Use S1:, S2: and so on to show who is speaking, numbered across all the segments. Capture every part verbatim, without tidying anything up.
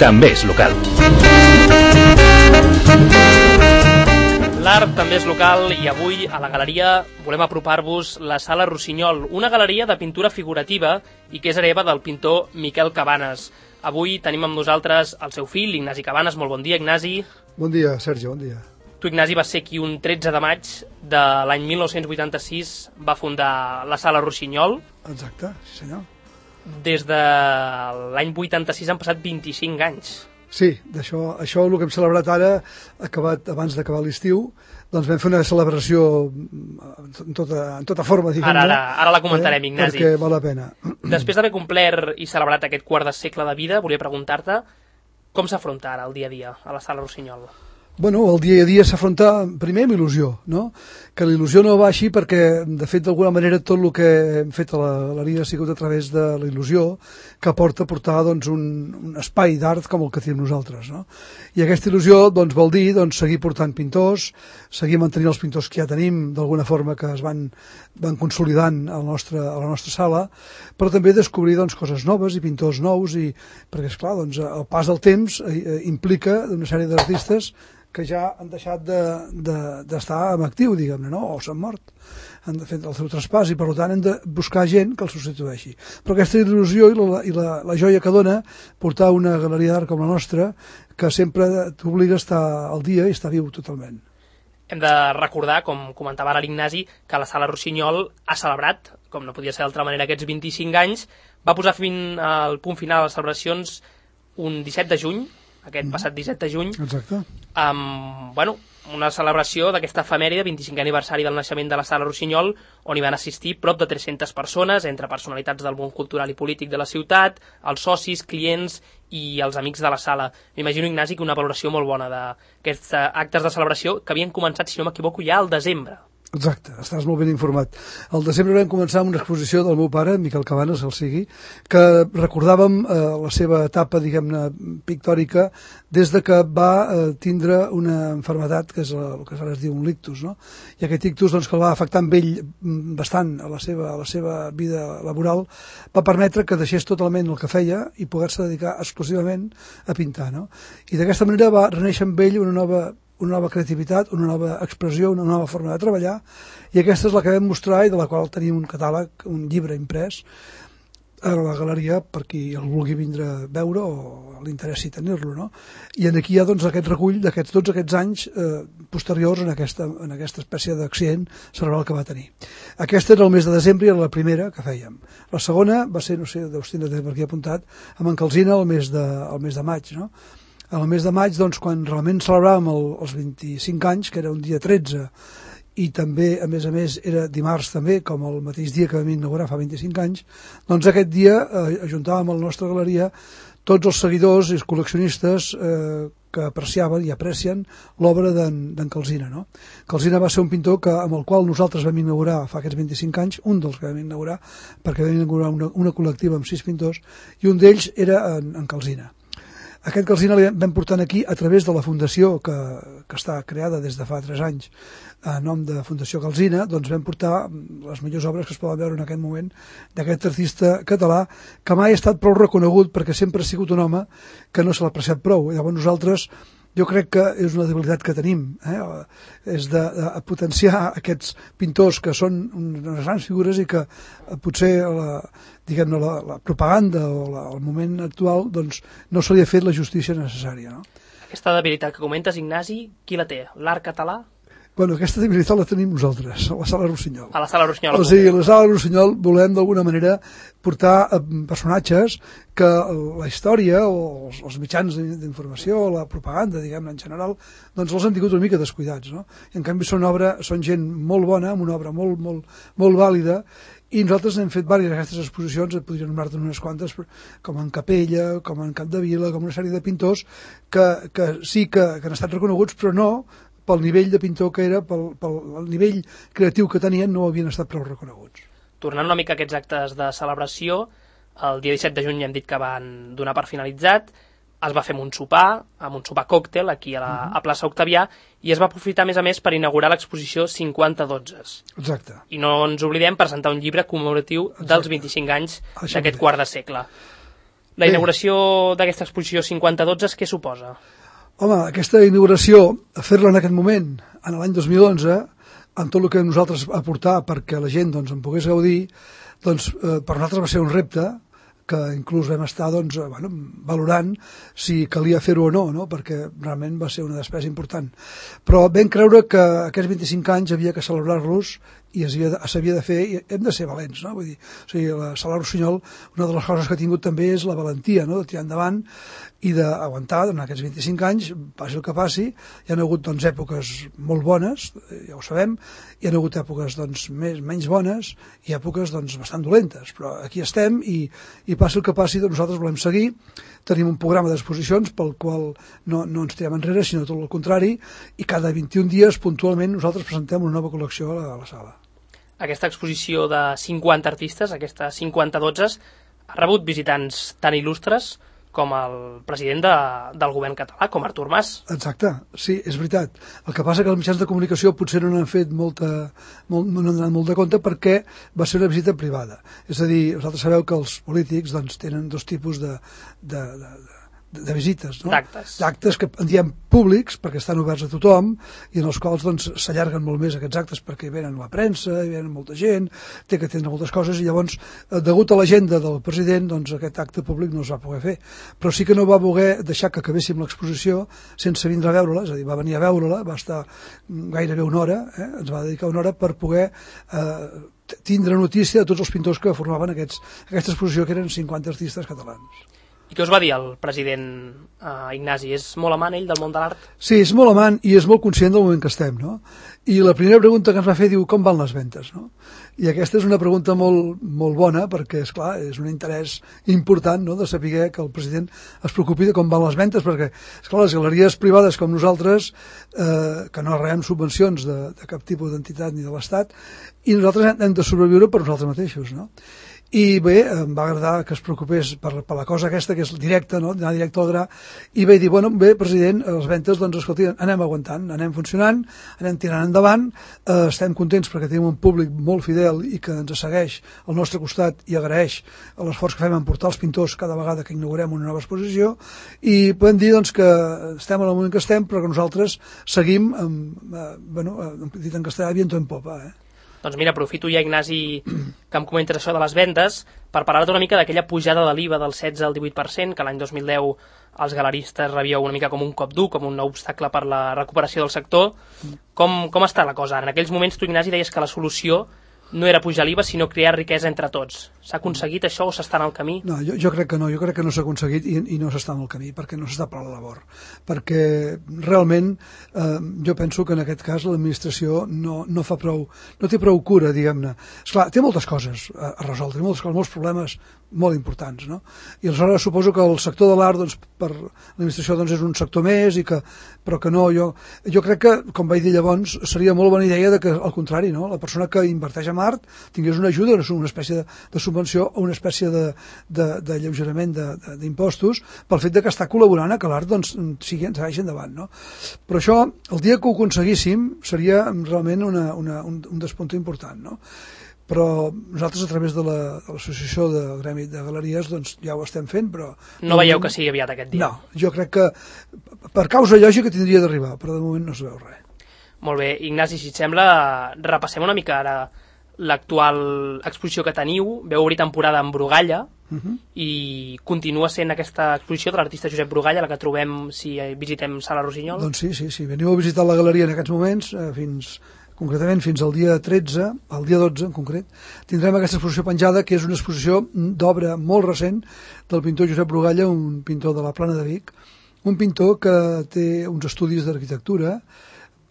S1: també és local.
S2: L'art també és local i avui a la galeria volem apropar-vos la Sala Rossinyol, una galeria de pintura figurativa i que és hereva del pintor Miquel Cabanes. Avui tenim amb nosaltres el seu fill, Ignasi Cabanes. Molt bon dia, Ignasi.
S3: Bon dia, Sergi, bon dia.
S2: Tu, Ignasi, va ser qui un tretze de maig de l'any mil nou-cents vuitanta-sis va fundar la Sala Rossinyol.
S3: Exacte, sí senyor.
S2: Des de l'any vuitanta-sis han passat vint-i-cinc anys.
S3: Sí, d'això, això el que hem celebrat ara, acabat abans d'acabar l'estiu, doncs vam fer una celebració en tota, en tota forma, diguem-ne.
S2: Ara, ara, ara la comentarem, eh? Ignasi.
S3: Perquè val la pena.
S2: Després d'haver complert i celebrat aquest quart de segle de vida, volia preguntar-te com s'afronta ara el dia a dia a la Sala Rossinyol?
S3: Bueno, el dia a dia s'afronta primer amb il·lusió, no? Que la il·lusió no va així perquè, de fet, d'alguna manera tot el que hem fet a la galeria ha sigut a través de la il·lusió que porta a portar doncs, un, un espai d'art com el que tenim nosaltres, no? I aquesta il·lusió doncs, vol dir doncs, seguir portant pintors, seguir mantenint els pintors que ja tenim, d'alguna forma que es van, van consolidant a la, nostra, a la nostra sala, però també descobrir doncs, coses noves i pintors nous, i, perquè, esclar, doncs, el pas del temps eh, implica una sèrie d'artistes que ja han deixat d'estar de, de, en actiu, diguem-ne, no? O s'han mort, han fet el seu traspàs i per tant hem de buscar gent que el substitueixi. Però aquesta il·lusió i la, i la, la joia que dona portar una galeria d'art com la nostra, que sempre t'obliga a estar al dia i estar viu totalment.
S2: Hem de recordar, com comentava ara l'Ignasi, que la Sala Rossinyol ha celebrat, com no podia ser d'altra manera, aquests vint-i-cinc anys, va posar fin al punt final a les celebracions un disset de juny, aquest mm. passat disset de juny.
S3: Exacte.
S2: Amb, bueno, una celebració d'aquesta efemèride, vint-i-cinquè aniversari del naixement de la Sala Rossinyol, on hi van assistir prop de tres-centes persones, entre personalitats del món cultural i polític de la ciutat, els socis, clients i els amics de la sala. M'imagino, Ignasi, que una valoració molt bona d'aquests actes de celebració que havien començat, si no m'equivoco, ja al desembre.
S3: Exacte, estàs molt ben informat. Al desembre vam començar amb una exposició del meu pare, Miquel Cabanes, el sigui, que recordàvem eh, la seva etapa, diguem-ne, pictòrica, des de que va eh, tindre una malaltia, que és la, el que ara es diu un ictus, no? I aquest ictus, doncs, que el va afectar amb ell bastant a la seva, a la seva vida laboral, va permetre que deixés totalment el que feia i poder-se dedicar exclusivament a pintar, no? I d'aquesta manera va reneixer amb ell una nova una nova creativitat, una nova expressió, una nova forma de treballar, i aquesta és la que vam mostrar i de la qual tenim un catàleg, un llibre imprès a la galeria per qui el vulgui vindre a veure o l'interessi tenir-lo, no? I aquí hi ha doncs, aquest recull d'aquests tots aquests anys eh, posteriors en aquesta, en aquesta espècie d'accident cerebral que va tenir. Aquesta era el mes de desembre i era la primera que fèiem. La segona va ser, no sé, deus tindre per aquí apuntat, amb en Calsina el mes de, el mes de maig, no? Al mes de maig, doncs, quan realment celebràvem el, els vint-i-cinc anys, que era un dia tretze, i també, a més a més, era dimarts també, com el mateix dia que vam inaugurar fa vint-i-cinc anys, doncs aquest dia eh, ajuntàvem a la nostra galeria tots els seguidors i els col·leccionistes eh, que apreciaven i aprecien l'obra d'en Calsina, no? Calsina va ser un pintor que, amb el qual nosaltres vam inaugurar fa aquests vint-i-cinc anys, un dels que vam inaugurar, perquè vam inaugurar una, una col·lectiva amb sis pintors, i un d'ells era en, en Calsina. Aquest Calsina l'hem vam portant aquí a través de la fundació que, que està creada des de fa tres anys a nom de Fundació Calsina, doncs vam portar les millors obres que es poden veure en aquest moment d'aquest artista català que mai ha estat prou reconegut perquè sempre ha sigut un home que no se l'ha apreciat prou. Llavors nosaltres, jo crec que és una debilitat que tenim, eh? És de, de potenciar aquests pintors que són unes grans figures i que eh, potser la, diguem-ne, la, la propaganda o la, el moment actual doncs, no se li ha fet la justícia necessària, no?
S2: Aquesta debilitat que comentes, Ignasi, qui la té? L'art català?
S3: Bueno, aquesta debilitat la tenim nosaltres, a la Sala Rossinyol.
S2: A la Sala Rossinyol.
S3: O sigui, a la Sala Rossinyol volem d'alguna manera portar personatges que la història o els, els mitjans d'informació, la propaganda, diguem-ne, en general, doncs els han tingut una mica descuidats, no? I en canvi són, obra, són gent molt bona, amb una obra molt, molt, molt vàlida, i nosaltres hem fet diverses d'aquestes exposicions, et podria anomenar-te unes quantes, com en Capella, com en Capdevila, com una sèrie de pintors que, que sí que, que han estat reconeguts, però no pel nivell de pintor que era, pel, pel nivell creatiu que tenien, no havien estat prou reconeguts.
S2: Tornant una mica a aquests actes de celebració, el dia disset de juny hem dit que van donar per finalitzat, es va fer amb un sopar, amb un sopar còctel aquí a la uh-huh. a plaça Octavià, i es va aprofitar a més a més per inaugurar l'exposició cinquanta dotze.
S3: Exacte.
S2: I no ens oblidem presentar un llibre commemoratiu Exacte. dels vint-i-cinc anys d'aquest quart de segle. La inauguració d'aquesta exposició cinquanta dotze, què suposa?
S3: Home, aquesta inauguració, fer-la en aquest moment, en l'any dos mil onze, amb tot el que nosaltres aportar perquè la gent doncs, en pogués gaudir, doncs eh, per nosaltres va ser un repte que inclús vam estar doncs, bueno, valorant si calia fer-ho o no, no, perquè realment va ser una despesa important. Però vam creure que aquests vint-i-cinc anys havia que celebrar-los i s'havia de fer, i hem de ser valents, no? Vull dir, o sigui, la Sala Rossinyol, una de les coses que ha tingut també és la valentia, no?, de tirar endavant i d'aguantar durant aquests vint-i-cinc anys, passi el que passi. Hi ha hagut doncs, èpoques molt bones, ja ho sabem, hi ha hagut èpoques doncs, més, menys bones i èpoques doncs, bastant dolentes, però aquí estem i, i passi el que passi, doncs, nosaltres volem seguir. Tenim un programa d'exposicions pel qual no, no ens tirem enrere, sinó tot el contrari, i cada vint-i-un dies puntualment nosaltres presentem una nova col·lecció a la, a la sala.
S2: Aquesta exposició de cinquanta artistes, aquesta cinquanta dotze, ha rebut visitants tan il·lustres com el president de, del govern català, com Artur Mas.
S3: Exacte, sí, és veritat. El que passa que els mitjans de comunicació potser no n'han fet molta, molt, no n'han donat molt de compte perquè va ser una visita privada. És a dir, vosaltres sabeu que els polítics doncs, tenen dos tipus de, de, de, de visites, no?
S2: D'actes.
S3: D'actes que en diem públics perquè estan oberts a tothom i en els quals doncs, s'allarguen molt més aquests actes perquè hi venen la premsa, hi venen molta gent, té que atendre moltes coses i llavors, degut a l'agenda del president, doncs aquest acte públic no es va poder fer. Però sí que no va voler deixar que acabéssim l'exposició sense vindre a veure-la, és a dir, va venir a veure-la, va estar gairebé una hora, eh? Ens va dedicar una hora per poder eh, tindre notícia de tots els pintors que formaven aquests, aquesta exposició, que eren cinquanta artistes catalans.
S2: I què us va dir el president eh, Ignasi? És molt amant ell del món de l'art?
S3: Sí, és molt amant i és molt conscient del moment que estem, no? I la primera pregunta que ens va fer diu, com van les ventes, no? I aquesta és una pregunta molt, molt bona perquè, és clar, és un interès important, no?, de saber que el president es preocupi de com van les ventes, perquè, és clar, les galeries privades com nosaltres, eh, que no rebem subvencions de, de cap tipus d'entitat ni de l'Estat, i nosaltres hem de sobreviure per nosaltres mateixos, no? I bé, em va agradar que es preocupés per, per la cosa aquesta, que és directa, no?, anar directe al gra, i vaig dir, bueno, bé, president, les ventes, doncs, escolti, anem aguantant, anem funcionant, anem tirant endavant, eh, estem contents perquè tenim un públic molt fidel i que ens segueix al nostre costat i agraeix l'esforç que fem en portar els pintors cada vegada que inaugurem una nova exposició, i podem dir, doncs, que estem en el moment que estem, però que nosaltres seguim, amb, eh, bueno, dit en castellà, viento en popa, eh?
S2: Doncs mira, aprofito ja, Ignasi, que em comentes això de les vendes, per parlar-te una mica d'aquella pujada de l'I V A del setze al divuit per cent, que l'any dos mil deu els galeristes rebíeu una mica com un cop dur, com un nou obstacle per la recuperació del sector. Com, com està la cosa? En aquells moments tu, Ignasi, deies que la solució no era pujar l'I V A, sinó crear riquesa entre tots. S'ha aconseguit això o s'està en el camí?
S3: No, jo, jo crec que no, jo crec que no s'ha aconseguit i, i no s'està en el camí, perquè no s'està per la labor. Perquè realment eh, jo penso que en aquest cas l'administració no, no fa prou, no té prou cura, diguem-ne. Esclar, té moltes coses a, a resoldre, moltes coses, molts problemes molt importants, no? I aleshores suposo que el sector de l'art, doncs, per l'administració doncs, és un sector més, i que, però que no, jo, jo crec que, com vaig dir llavors, seria molt bona idea de que, al contrari, no?, la persona que inverteix en art tingués una ajuda, una espècie de, de subvenció o una espècie de, de, de lleugerament d'impostos pel fet de que està col·laborant a que l'art doncs, sigui, ens vagi endavant, no? Però això, el dia que ho aconseguíssim, seria realment una, una, un, un despunte important, no? Però nosaltres a través de l'associació la, de del Gremi de Galeries doncs ja ho estem fent, però...
S2: No veieu que sigui aviat aquest dia?
S3: No, jo crec que per causa lògica tindria d'arribar, però de moment no es veu res.
S2: Molt bé, Ignasi, si et sembla, repassem una mica ara l'actual exposició que teniu. Veu obrir temporada en Brugalla, uh -huh. i continua sent aquesta exposició de l'artista Josep Brugalla, la que trobem si visitem Sala Rossinyol?
S3: Doncs sí, sí, sí. Veniu a visitar la galeria en aquests moments, eh, fins... concretament fins al dia tretze, al dia dotze en concret, tindrem aquesta exposició penjada, que és una exposició d'obra molt recent del pintor Josep Brugalla, un pintor de la Plana de Vic, un pintor que té uns estudis d'arquitectura,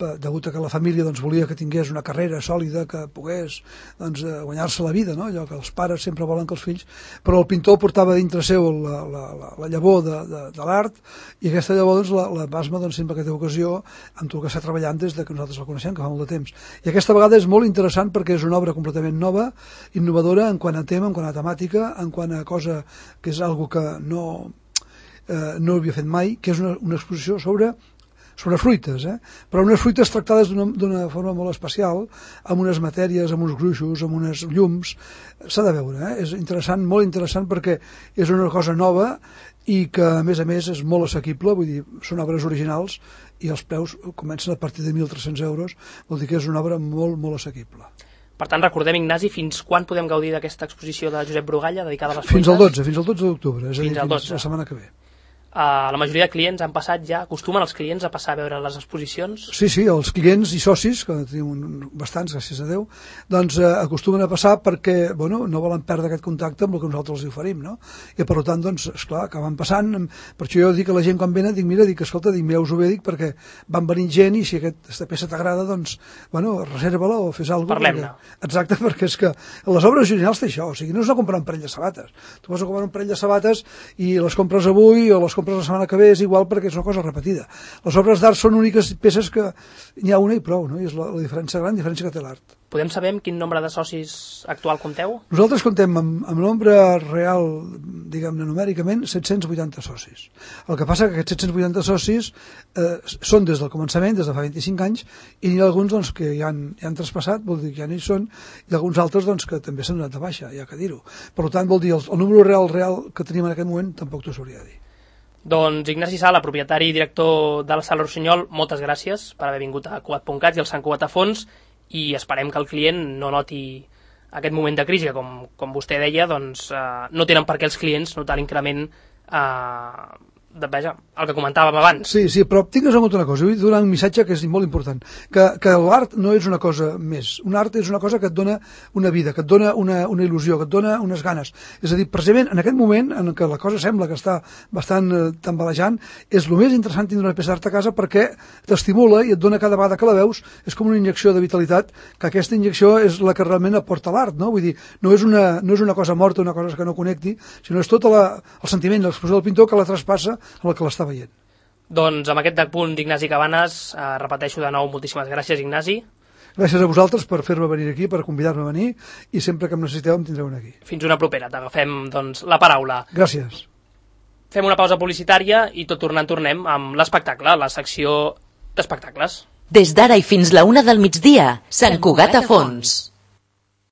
S3: degut a que la família doncs, volia que tingués una carrera sòlida, que pogués doncs, guanyar-se la vida, no? Allò que els pares sempre volen que els fills, però el pintor portava dintre seu la, la, la, la llavor de, de, de l'art, i aquesta llavor doncs, la, la plasma doncs, sempre que té ocasió amb tot el que està treballant des de que nosaltres el coneixem, que fa molt de temps. I aquesta vegada és molt interessant perquè és una obra completament nova, innovadora en quant a tema, en quant a temàtica, en quant a cosa que és algo que no, eh, no havia fet mai, que és una, una exposició sobre són unes fruites, eh? Però unes fruites tractades d'una forma molt especial, amb unes matèries, amb uns gruixos, amb unes llums. S'ha de veure, eh? És interessant, molt interessant, perquè és una cosa nova i que, a més a més, és molt assequible, vull dir, són obres originals i els preus comencen a partir de mil tres-cents euros, vol dir que és una obra molt, molt assequible.
S2: Per tant, recordem, Ignasi, fins quan podem gaudir d'aquesta exposició de Josep Brugalla dedicada a les
S3: fruites? Fins al dotze, fins al dotze d'octubre, és a dir, fins la setmana que ve.
S2: Uh, la majoria de clients han passat ja, acostumen els clients a passar a veure les exposicions?
S3: Sí, sí, els clients i socis, que tenim un, bastants, gràcies a Déu, doncs eh, acostumen a passar perquè, bueno, no volen perdre aquest contacte amb el que nosaltres els oferim, no? I per tant, doncs, esclar, acaben passant, per això jo dic a la gent quan venen, dic, mira, dic, escolta, dic, mireu-vos-ho bé, dic, perquè van venint gent i si aquesta peça t'agrada, doncs, bueno, reserva-la o fes alguna cosa.
S2: Parlem-ne.
S3: Perquè, exacte, perquè és que les obres originals té això, o sigui, no és una comprar un parell de sabates. Tu vas a comprar un parell de sabates i les compres avui o les compres la setmana que ve, és igual perquè és una cosa repetida. Les obres d'art són úniques peces que n'hi ha una i prou, no? I és la, la diferència gran, la diferència que té l'art.
S2: Podem saber amb quin nombre de socis actual compteu?
S3: Nosaltres contem amb, amb nombre real, diguem-ne numèricament, set-cents vuitanta socis. El que passa que aquests set-cents vuitanta socis eh, són des del començament, des de fa vint-i-cinc anys, i n'hi ha alguns doncs, que ja han, ja han traspassat, vol dir que ja no hi són, i alguns altres doncs, que també s'han donat de baixa, ja que dir-ho. Per tant, vol dir, el, el número real real que tenim en aquest moment tampoc t'ho sabria dir.
S2: Doncs Ignasi Sala, propietari i director de la Sala Rossinyol, moltes gràcies per haver vingut a Cugat punt cat i al Sant Cugat a fons, i esperem que el client no noti aquest moment de crisi, que com, com vostè deia, doncs, eh, no tenen per què els clients notar l'increment eh, de, veja, el que comentàvem abans.
S3: Sí, sí, però tingues en compte una cosa, vull donar un missatge que és molt important, que, que l'art no és una cosa més, un art és una cosa que et dona una vida, que et dona una, una il·lusió, que et dona unes ganes. És a dir, precisament en aquest moment en què la cosa sembla que està bastant eh, tambalejant, és el més interessant tindre una peça d'art a casa perquè t'estimula i et dona cada vegada que la veus, és com una injecció de vitalitat, que aquesta injecció és la que realment aporta l'art, no? Vull dir, no és una, no és una cosa morta, una cosa que no connecti, sinó és tot la, el sentiment, l'expressió del pintor que la traspassa amb el que l'està veient.
S2: Doncs amb aquest punt d'Ignasi Cabanes, eh, repeteixo de nou, moltíssimes gràcies, Ignasi.
S3: Gràcies a vosaltres per fer-me venir aquí, per convidar-me a venir, i sempre que em necessiteu em tindreu aquí.
S2: Fins una propera, t'agafem doncs, la paraula.
S3: Gràcies.
S2: Fem una pausa publicitària i tot tornant tornem amb l'espectacle, la secció d'espectacles.
S1: Des d'ara i fins la una del migdia, Sant Cugat a fons.